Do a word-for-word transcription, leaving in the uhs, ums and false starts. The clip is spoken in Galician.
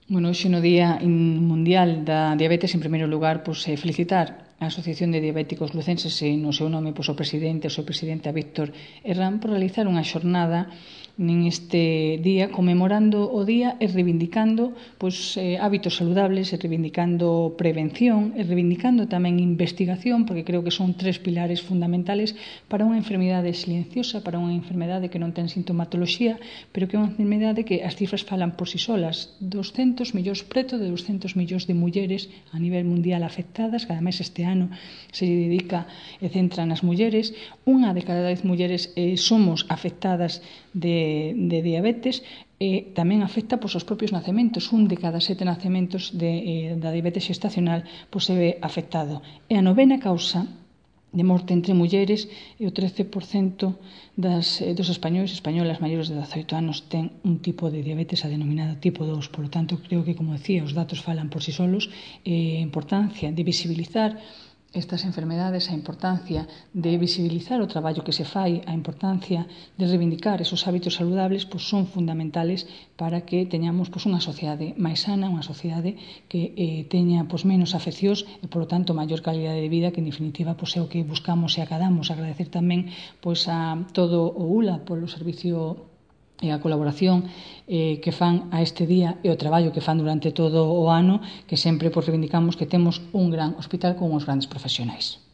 Bueno, hoxe no Día Mundial da Diabetes, en primeiro lugar, pois, felicitar a Asociación de Diabéticos Lucenses e no seu nome pois, o presidente, o seu presidente, a Víctor Herrán, por realizar unha xornada neste día conmemorando o día e reivindicando pois, eh, hábitos saludables e reivindicando prevención e reivindicando tamén investigación, porque creo que son tres pilares fundamentales para unha enfermidade silenciosa, para unha enfermidade que non ten sintomatoloxía, pero que é unha enfermidade que as cifras falan por si solas. doscentos millóns, preto de doscentos millóns de mulleres a nivel mundial afectadas, cada mes este ano se dedica e centra nas mulleres. Unha de cada dez mulleres eh, somos afectadas de, de diabetes, e tamén afecta pois, os propios nacementos. Un de cada sete nacementos de, eh, da diabetes xestacional pois, se ve afectado. E a novena causa de morte entre mulleres e o trece por cento das, eh, dos españoles e españolas maiores de dezaoito anos ten un tipo de diabetes, a denominada tipo dous. Por lo tanto, creo que, como decía, os datos falan por si solos. Eh, a importancia de visibilizar estas enfermedades, a importancia de visibilizar o traballo que se fai, a importancia de reivindicar esos hábitos saludables, pois son fundamentales para que teñamos pois, unha sociedade máis sana, unha sociedade que eh, teña pois, menos afeccións e, por lo tanto, maior calidade de vida, que en definitiva pois, é o que buscamos e acadamos. Agradecer tamén pois, a todo o U L A polo servicio e a colaboración eh, que fan a este día e o traballo que fan durante todo o ano, que sempre pois, reivindicamos que temos un gran hospital con uns grandes profesionais.